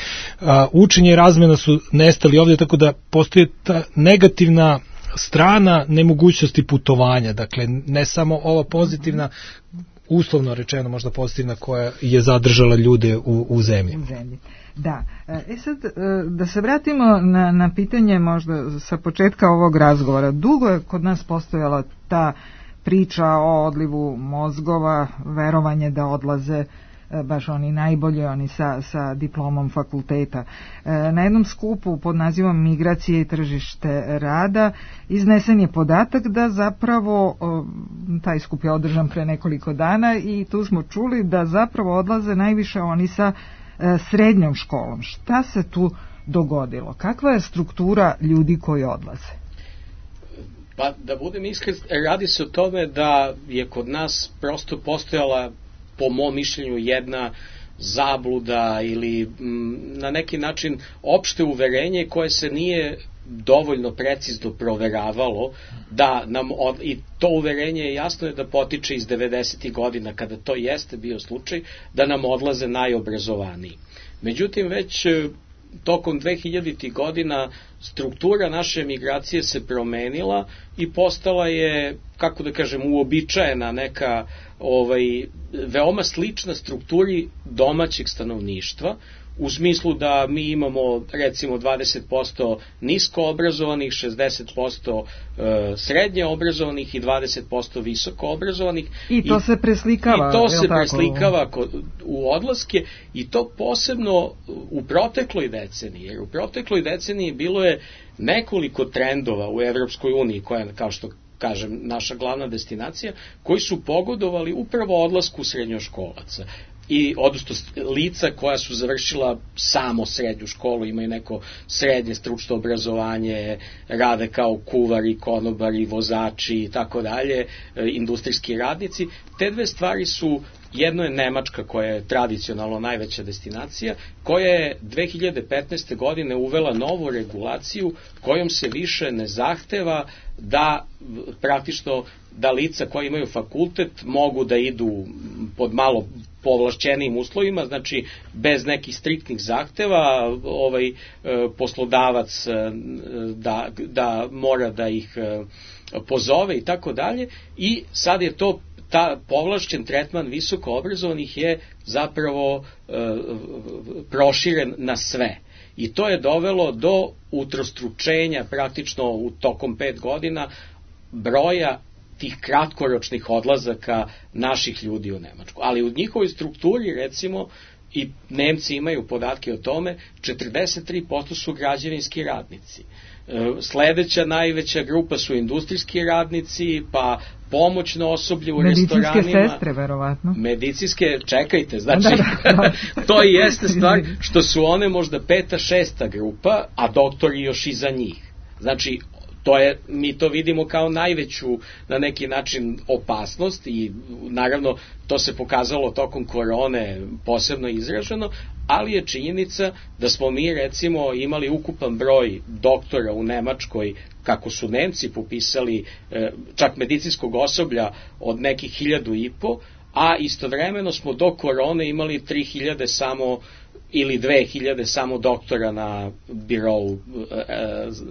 učenja i razmena su nestali ovdje, tako da postoji ta negativna strana nemogućnosti putovanja, dakle ne samo ova pozitivna, uslovno rečeno možda pozitivna, koja je zadržala ljude u, u zemlji. U zemlji. Da. E sad, da se vratimo na, na pitanje možda sa početka ovog razgovora. Dugo je kod nas postojala ta priča o odlivu mozgova, verovanje da odlaze baš oni najbolji, oni sa, sa diplomom fakulteta. Na jednom skupu pod nazivom Migracije i tržište rada iznesen je podatak da zapravo, taj skup je održan pre nekoliko dana i tu smo čuli da zapravo odlaze najviše oni sa srednjom školom. Šta se tu dogodilo? Kakva je struktura ljudi koji odlaze? Pa da budem iskren, radi se o tome da je kod nas prosto postojala, po mom mišljenju, jedna zabluda ili m, na neki način opšte uverenje koje se nije dovoljno precizno proveravalo, da nam od, i to uverenje je jasno je da potiče iz devedesetih godina, kada to jeste bio slučaj, da nam odlaze najobrazovaniji. Međutim, već tokom dvehiljaditih godina struktura naše migracije se promenila i postala je, kako da kažem, uobičajena neka ovaj, veoma slična strukturi domaćeg stanovništva, u smislu da mi imamo recimo dvadeset posto nisko obrazovanih, šezdeset posto srednje obrazovanih i dvadeset posto visoko obrazovanih. I to I, se preslikava. I to se preslikava kod, u odlaske i to posebno u protekloj deceniji, jer u protekloj deceniji bilo je nekoliko trendova u Evropskoj uniji, koja je, kao što kažem, naša glavna destinacija, koji su pogodovali upravo odlasku srednjoškolaca. I odnosno lica koja su završila samo srednju školu, imaju neko srednje stručno obrazovanje, rade kao kuvari, konobari, vozači i tako dalje, industrijski radnici. Te dve stvari su, jedno je Nemačka koja je tradicionalno najveća destinacija, koja je dve hiljade petnaeste. godine uvela novu regulaciju kojom se više ne zahteva da praktično da lica koja imaju fakultet mogu da idu pod malo povlašćenijim uslovima, znači bez nekih striktnih zahteva, ovaj poslodavac da, da mora da ih pozove i tako dalje, i sad je to ta povlašćen tretman visoko obrazovanih je zapravo e, proširen na sve. I to je dovelo do utrostručenja praktično u tokom pet godina broja tih kratkoročnih odlazaka naših ljudi u Nemačku. Ali u njihovoj strukturi, recimo, i Nemci imaju podatke o tome, četrdeset tri posto su građevinski radnici. Sledeća najveća grupa su industrijski radnici, pa pomoćno osoblje u medicinske restoranima. Medicinske sestre, verovatno. Medicinske, čekajte, znači, da, da, da. To i jeste stvar što su one možda peta, šesta grupa, a doktori još iza njih. Znači, to je, mi to vidimo kao najveću na neki način opasnost i naravno to se pokazalo tokom korone posebno izraženo, ali je činjenica da smo mi recimo imali ukupan broj doktora u Nemačkoj, kako su Nemci popisali, čak medicinskog osoblja od nekih hiljadu i po, a istovremeno smo do korone imali tri hiljade samo ili dve hiljade samo doktora na birou e,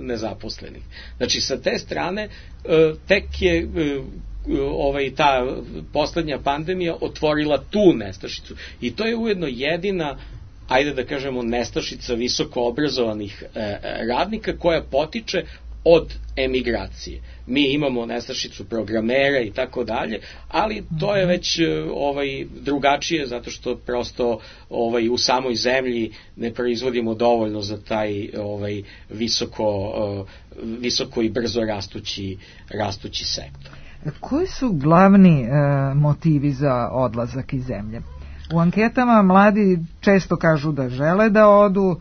nezaposlenih. Znači, sa te strane e, tek je e, ovaj, ta poslednja pandemija otvorila tu nestašicu. I to je ujedno jedina, ajde da kažemo, nestašica visoko obrazovanih e, radnika koja potiče od emigracije. Mi imamo nestašicu programera i tako dalje, ali to je već ovaj drugačije zato što prosto ovaj u samoj zemlji ne proizvodimo dovoljno za taj ovaj visoko visoko i brzo rastući rastući sektor. Koji su glavni e, motivi za odlazak iz zemlje? U anketama mladi često kažu da žele da odu,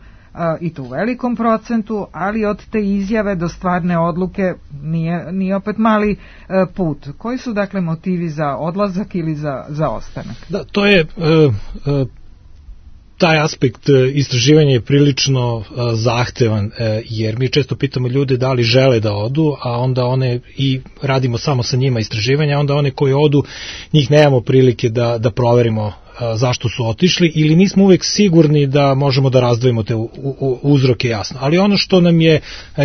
i to u velikom procentu, ali od te izjave do stvarne odluke nije, nije opet mali put. Koji su dakle motivi za odlazak ili za, za ostanak? Da, to je uh, uh, taj aspekt istraživanja je prilično uh, zahtevan, uh, jer mi često pitamo ljude da li žele da odu, a onda one i radimo samo sa njima istraživanja, onda one koji odu, njih nemamo prilike da, da proverimo zašto su otišli ili nismo uvek sigurni da možemo da razdvojimo te u, u, uzroke jasno. Ali ono što nam je,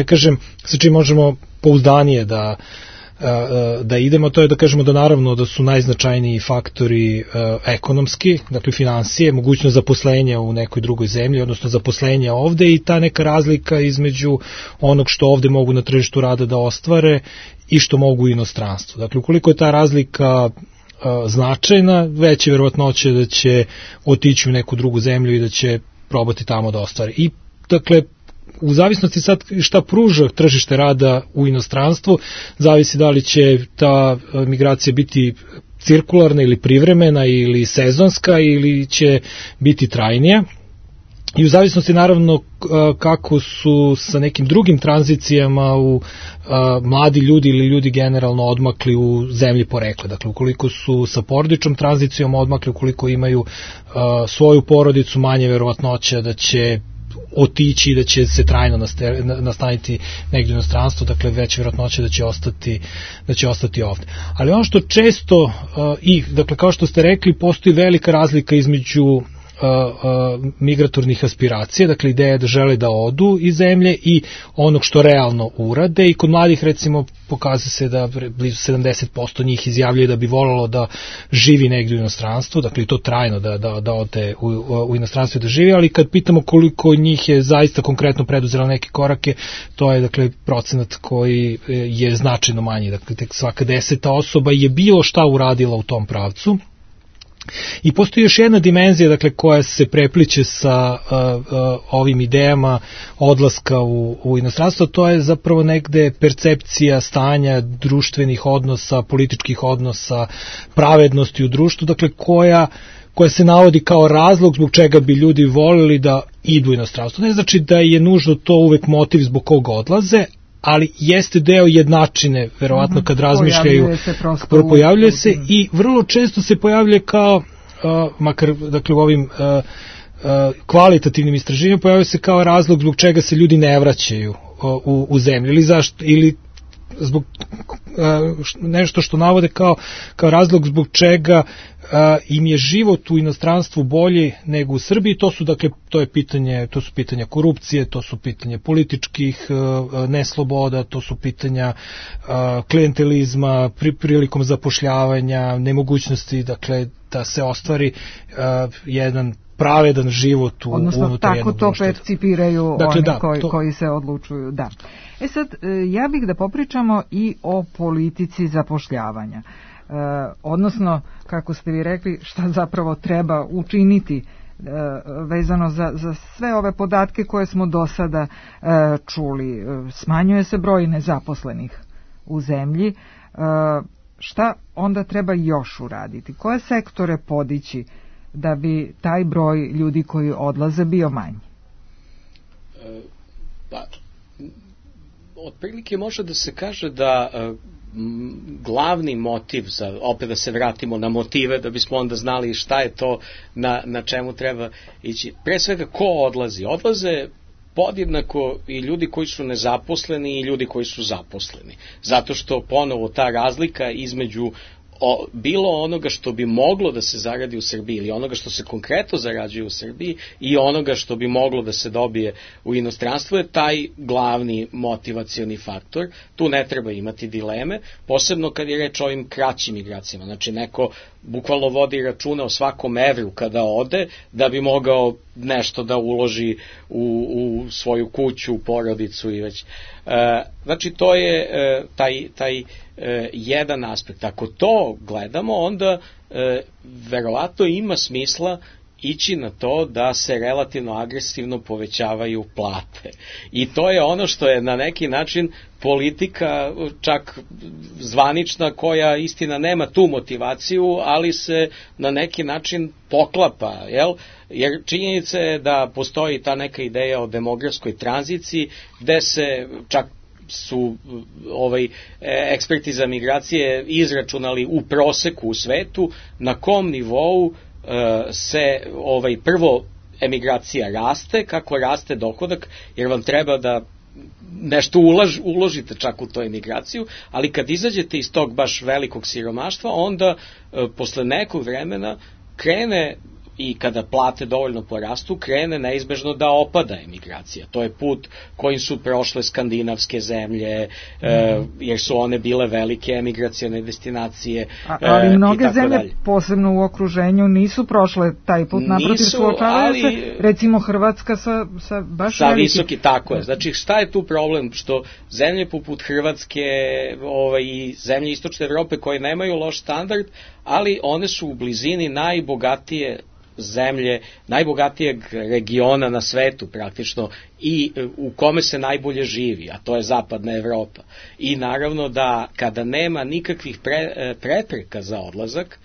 kažem, sa čim možemo pouzdanije da da idemo, to je da kažemo da naravno da su najznačajniji faktori ekonomski, dakle finansije, mogućnost zaposlenja u nekoj drugoj zemlji, odnosno zaposlenja ovde i ta neka razlika između onog što ovde mogu na tržištu rada da ostvare i što mogu u inostranstvu. Dakle, ukoliko je ta razlika značajna, veće verovatnoće da će otići u neku drugu zemlju i da će probati tamo da ostvari. I dakle, u zavisnosti sad šta pruža tržište rada u inostranstvu, zavisi da li će ta migracija biti cirkularna ili privremena ili sezonska ili će biti trajnija. I u zavisnosti naravno kako su sa nekim drugim tranzicijama u a, mladi ljudi ili ljudi generalno odmakli u zemlji porekla. Dakle, ukoliko su sa porodičnom tranzicijom odmakli, ukoliko imaju a, svoju porodicu, manje verovatnoća da će otići i da će se trajno nastaniti negdje u inostranstvu, dakle veća verovatnoća da će ostati da će ostati ovde. Ali ono što često uh, i dakle kao što ste rekli, postoji velika razlika između uh, uh, migratornih aspiracija, dakle ideja da žele da odu iz zemlje i onog što realno urade. I kod mladih recimo pokazuje se da blizu sedamdeset posto njih izjavljuje da bi volelo da živi negdje u inostranstvu, dakle i to trajno da, da, da ode u, u inostranstvu da živi, ali kad pitamo koliko njih je zaista konkretno preduzelo neke korake, to je dakle procenat koji je značajno manji, dakle tek svaka deseta osoba je bilo šta uradila u tom pravcu. I postoji još jedna dimenzija, dakle, koja se prepliče sa uh, uh, ovim idejama odlaska u, u inostranstvo, to je zapravo negde percepcija stanja društvenih odnosa, političkih odnosa, pravednosti u društvu, dakle, koja koja se navodi kao razlog zbog čega bi ljudi volili da idu u inostranstvo. Ne znači da je nužno to uvek motiv zbog koga odlaze, ali jeste deo jednačine, verovatno kad razmišljaju, pojavljuje se, pojavljuje se i vrlo često se pojavljuje kao, uh, makar dakle u ovim uh, uh, kvalitativnim istraživanjima, pojavljuje se kao razlog zbog čega se ljudi ne vraćaju uh, u, u zemlju, ili zašto, ili zbog uh, nešto što navode kao, kao razlog zbog čega uh, im je život u inostranstvu bolji nego u Srbiji. To su dakle to je pitanje to su pitanja korupcije, to su pitanja političkih uh, nesloboda, to su pitanja uh, klijentelizma pri, prilikom zapošljavanja, nemogućnosti dakle da se ostvari uh, jedan pravedan život u odnosno unutar tako to društva. percipiraju dakle, oni da, koji, to... koji se odlučuju. Da. E sad, ja bih da popričamo i o politici zapošljavanja. E, odnosno, kako ste vi rekli, šta zapravo treba učiniti e, vezano za, za sve ove podatke koje smo do sada e, čuli. Smanjuje se broj nezaposlenih u zemlji. E, šta onda treba još uraditi? Koje sektore podići da bi taj broj ljudi koji odlaze bio manji? E, pa, otprilike može da se kaže da e, glavni motiv, za, opet da se vratimo na motive, da bismo onda znali šta je to na, na čemu treba ići. Pre svega, ko odlazi? Odlaze podjednako i ljudi koji su nezaposleni i ljudi koji su zaposleni. Zato što ponovo ta razlika između O, bilo onoga što bi moglo da se zaradi u Srbiji ili onoga što se konkretno zarađuje u Srbiji i onoga što bi moglo da se dobije u inostranstvu je taj glavni motivacioni faktor. Tu ne treba imati dileme, posebno kad je reč o ovim kraćim migracijama. Znači neko bukvalno vodi računa o svakom evru kada ode da bi mogao nešto da uloži u, u svoju kuću, u porodicu i već. E, znači to je e, taj, taj e, jedan aspekt. Ako to gledamo, onda e, verovatno ima smisla ići na to da se relativno agresivno povećavaju plate. I to je ono što je na neki način politika, čak zvanična, koja istina nema tu motivaciju, ali se na neki način poklapa, jel? Jer činjenica je da postoji ta neka ideja o demografskoj tranziciji, gde se čak su ovaj eksperti za migracije izračunali u proseku u svetu na kom nivou se ovaj prvo emigracija raste, kako raste dohodak, jer vam treba da nešto ulaž, uložite čak u tu emigraciju, ali kad izađete iz tog baš velikog siromaštva, onda e, posle nekog vremena krene, i kada plate dovoljno porastu, krene neizbežno da opada emigracija. To je put kojim su prošle skandinavske zemlje, mm. e, jer su one bile velike emigracione destinacije. A, ali mnoge e, zemlje, dalje. Posebno u okruženju, nisu prošle taj put, naprotiv suočavaju ali, se, recimo Hrvatska sa, sa baš sa veliki. visoki, tako je. Znači, šta je tu problem? Što zemlje poput Hrvatske ovaj, i zemlje istočne Evrope koje nemaju loš standard, ali one su u blizini najbogatije zemlje, najbogatijeg regiona na svetu praktično i u kome se najbolje živi, a to je zapadna Evropa. I naravno da kada nema nikakvih pre, prepreka za odlazak,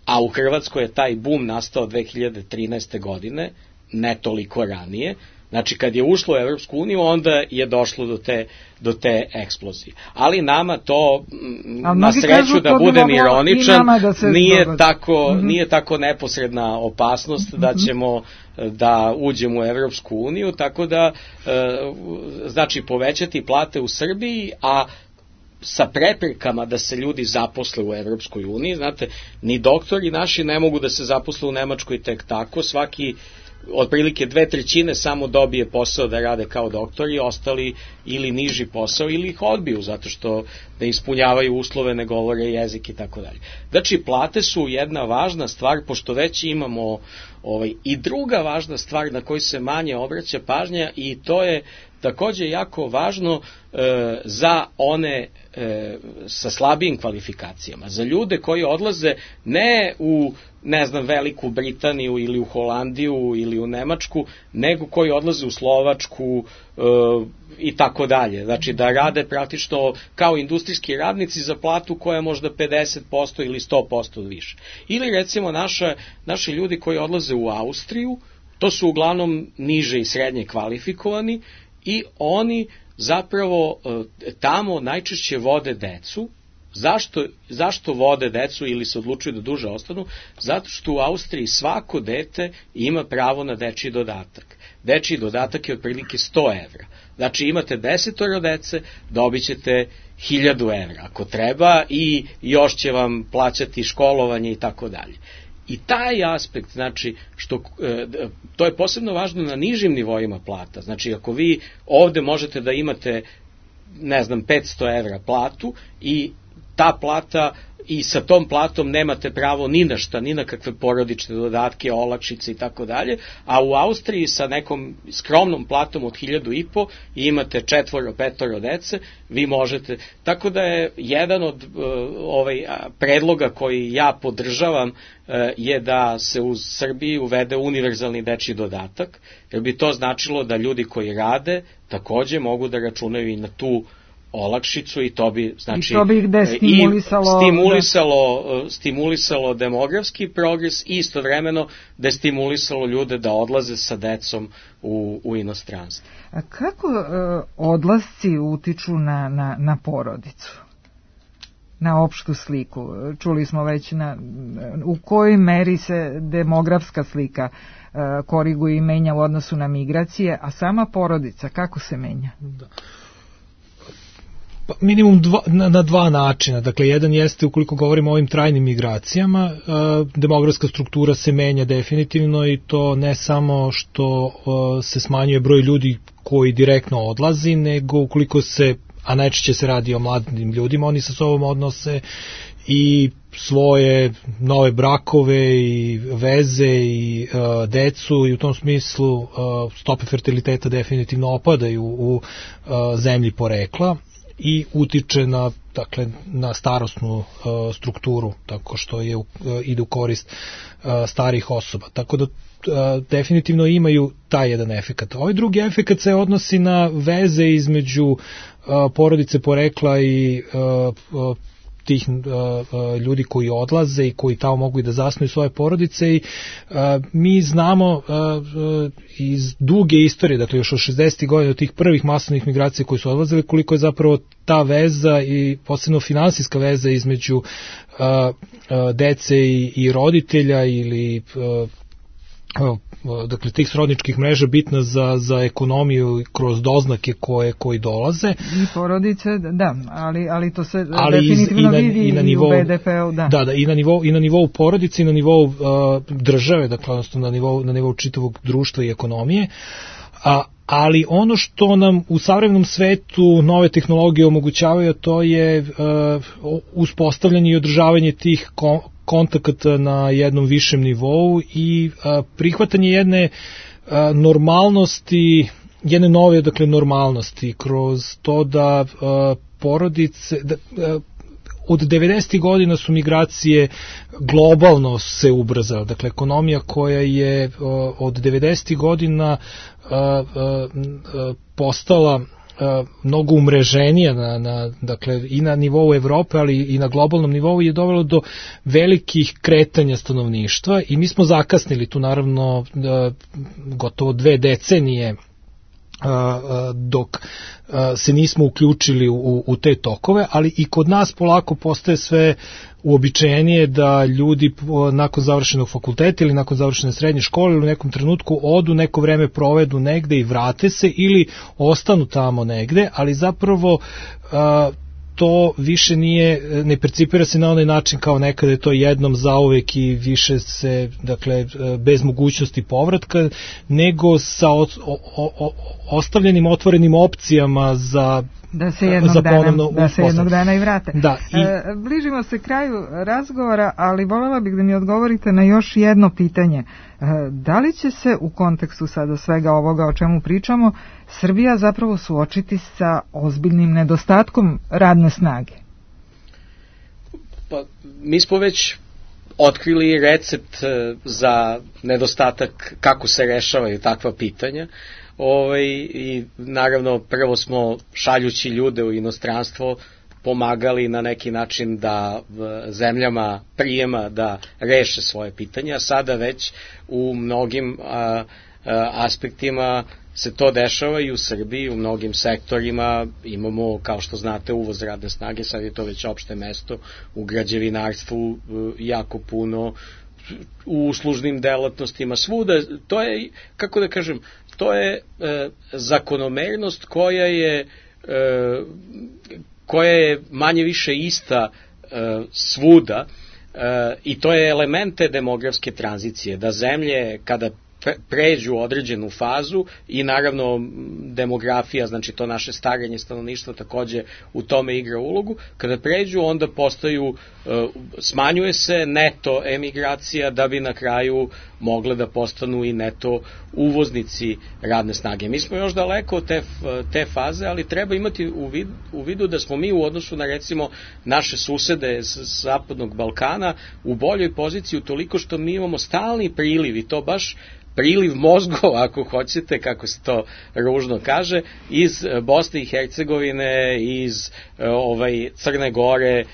a u Hrvatskoj je taj bum nastao dve hiljade trinaeste. godine, ne toliko ranije, znači kad je ušlo u Evropsku uniju, onda je došlo do te, do te eksplozije. Ali nama to, ali na sreću da budem ironičan, da nije, tako, mm-hmm. nije tako neposredna opasnost mm-hmm. da ćemo da uđemo u Evropsku uniju, tako da znači povećati plate u Srbiji, a sa preprekama da se ljudi zaposle u Evropskoj uniji. Znate, ni doktori naši ne mogu da se zaposle u Nemačkoj tek tako, svaki otprilike dve trećine samo dobije posao da rade kao doktori, ostali ili niži posao ili ih odbiju zato što ne ispunjavaju uslove, ne govore jezik i tako dalje. Znači, plate su jedna važna stvar, pošto već imamo ovaj, i druga važna stvar na koju se manje obraća pažnja, i to je takođe jako važno e, za one e, sa slabijim kvalifikacijama, za ljude koji odlaze ne u, ne znam, Veliku Britaniju ili u Holandiju ili u Nemačku, nego koji odlaze u Slovačku e, i tako dalje. Znači da rade praktično kao industrijski radnici za platu koja je možda pedeset posto ili sto posto više. Ili recimo naša, naši ljudi koji odlaze u Austriju, to su uglavnom niže i srednje kvalifikovani, i oni zapravo tamo najčešće vode decu. Zašto, zašto vode decu ili se odlučuju da duže ostanu? Zato što u Austriji svako dete ima pravo na dečiji dodatak. Dečiji dodatak je otprilike sto evra. Znači imate desetoro dece, dobit ćete hiljadu evra ako treba, i još će vam plaćati školovanje i tako dalje. I taj aspekt, znači, što, to je posebno važno na nižim nivoima plata. Znači, ako vi ovde možete da imate, ne znam, petsto evra platu, i ta plata, i sa tom platom nemate pravo ni na šta, ni na kakve porodične dodatke, olakšice i tako dalje, a u Austriji sa nekom skromnom platom od hiljadu i po i imate četvoro, petoro dece, vi možete. Tako da je jedan od uh, ovaj, predloga koji ja podržavam uh, je da se u Srbiji uvede univerzalni dečiji dodatak, jer bi to značilo da ljudi koji rade takođe mogu da računaju i na tu olakšicu, i to bi, znači, I to bi ih destimulisalo, stimulisalo, da. stimulisalo demografski progres i istovremeno destimulisalo ljude da odlaze sa decom u, u inostranstvo. A kako uh, odlasci utiču na, na, na porodicu? Na opštu sliku? Čuli smo već na, u kojoj meri se demografska slika uh, koriguje i menja u odnosu na migracije, a sama porodica kako se menja? Da. Minimum dva, na, na dva načina. Dakle, jedan jeste, ukoliko govorimo o ovim trajnim migracijama, e, demografska struktura se menja definitivno, i to ne samo što e, se smanjuje broj ljudi koji direktno odlazi, nego ukoliko se, a najčešće se radi o mladim ljudima, oni sa sobom odnose i svoje nove brakove i veze i e, decu, i u tom smislu e, stope fertiliteta definitivno opadaju u e, zemlji porekla i utiče na, dakle, na starosnu uh, strukturu, tako što je uh, ide u korist uh, starih osoba. Tako da uh, definitivno imaju taj jedan efekat. Ovaj drugi efekat se odnosi na veze između uh, porodice porekla i uh, uh, tih uh, uh, ljudi koji odlaze i koji tamo mogu i da zasnuju svoje porodice, i uh, mi znamo uh, uh, iz duge istorije, dakle još od šezdesetih godina, od tih prvih masovnih migracija koji su odlazili, koliko je zapravo ta veza i posebno finansijska veza između uh, uh, dece i, i roditelja ili uh, dakle tih srodničkih mreža bitna za, za ekonomiju kroz doznake koje koji dolaze. I porodice, da, ali, ali to se ali definitivno iz, i na, vidi i, na nivou, i u B D P-u, da. Da, da, i na nivou, i na nivou porodice i na nivou uh, države, dakle odnosno na nivou, na nivou čitavog društva i ekonomije. A, ali ono što nam u savremenom svetu nove tehnologije omogućavaju, to je uh, uspostavljanje i održavanje tih kom, kontakata na jednom višem nivou i a, prihvatanje jedne a, normalnosti, jedne nove, dakle, normalnosti kroz to da a, porodice, da, a, od devedesetih godina su migracije globalno se ubrzale. Dakle, ekonomija koja je od devedesetih godina postala mnogo umreženija na, na, dakle, i na nivou Evrope, ali i na globalnom nivou je dovelo do velikih kretanja stanovništva i mi smo zakasnili tu naravno gotovo dve decenije dok se nismo uključili u, u te tokove, ali i kod nas polako postaje sve uobičajenije da ljudi nakon završenog fakulteta ili nakon završene srednje škole ili u nekom trenutku odu, neko vreme provedu negde i vrate se ili ostanu tamo negde, ali zapravo to više nije, ne percipira se na onaj način kao nekada je to jednom zauvek i više se, dakle, bez mogućnosti povratka, nego sa o, o, o, ostavljenim otvorenim opcijama za da se jednog za dana, da se jednog dana i vrate. Da, i... E, bližimo se kraju razgovora, ali voljela bih da mi odgovorite na još jedno pitanje. E, da li će se u kontekstu sada svega ovoga o čemu pričamo Srbija zapravo suočiti sa ozbiljnim nedostatkom radne snage? Pa, mi smo već otkrili recept za nedostatak, kako se rešavaju takva pitanja. Ovaj, i naravno prvo smo šaljući ljude u inostranstvo pomagali na neki način da zemljama prijema da reše svoje pitanje, a sada već u mnogim a, a, aspektima se to dešava i u Srbiji, u mnogim sektorima imamo, kao što znate, uvoz radne snage, sad je to već opšte mesto, u građevinarstvu jako puno, u uslužnim delatnostima, svuda, to je, kako da kažem, to je e, zakonomernost koja je e, koja je manje više ista e, svuda e, i to je elemente demografske tranzicije, da zemlje kada pređu određenu fazu i naravno demografija, znači to naše starenje stanovništva takođe u tome igra ulogu, kada pređu onda postaju, smanjuje se neto emigracija da bi na kraju mogle da postanu i neto uvoznici radne snage. Mi smo još daleko od te, te faze, ali treba imati u vidu, u vidu da smo mi u odnosu na recimo naše susede s zapadnog Balkana u boljoj poziciji utoliko što mi imamo stalni priliv i to baš priliv mozgova, ako hoćete, kako se to ružno kaže, iz Bosne i Hercegovine, iz ovaj, Crne Gore,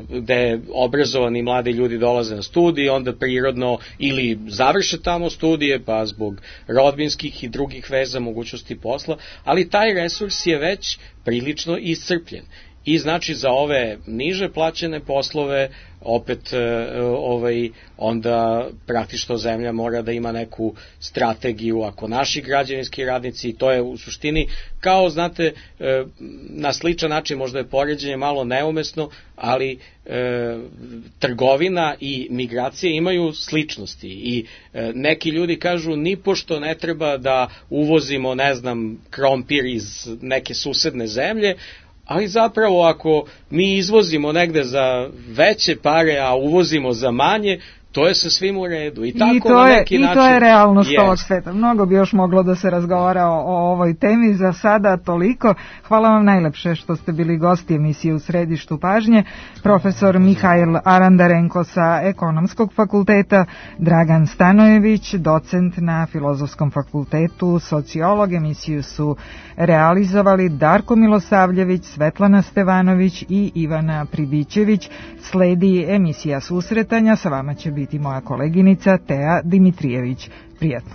gde obrazovani mladi ljudi dolaze na studije, onda prirodno ili završe tamo studije, pa zbog rodbinskih i drugih veza, mogućnosti posla, ali taj resurs je već prilično iscrpljen. I znači za ove niže plaćene poslove opet ovaj, onda praktično zemlja mora da ima neku strategiju, ako naši građevinski radnici, to je u suštini kao, znate, na sličan način, možda je poređenje malo neumesno, ali e, trgovina i migracije imaju sličnosti i e, neki ljudi kažu nipošto ne treba da uvozimo, ne znam, krompir iz neke susedne zemlje, ali zapravo ako mi izvozimo negde za veće pare, a uvozimo za manje, to je sa svim u redu. I, tako I, to, na je, neki i način, to je realnost jest. ovog sveta. Mnogo bi još moglo da se razgovara o, o ovoj temi, za sada toliko. Hvala vam najlepše što ste bili gosti emisije U središtu pažnje. Profesor Mihajl Arandarenko sa Ekonomskog fakulteta, Dragan Stanojević, docent na Filozofskom fakultetu, sociolog. Emisiju su realizovali Darko Milosavljević, Svetlana Stevanović i Ivana Pribićević. Sledi emisija Susretanja, sa vama će biti moja koleginica Teja Dimitrijević. Prijatno.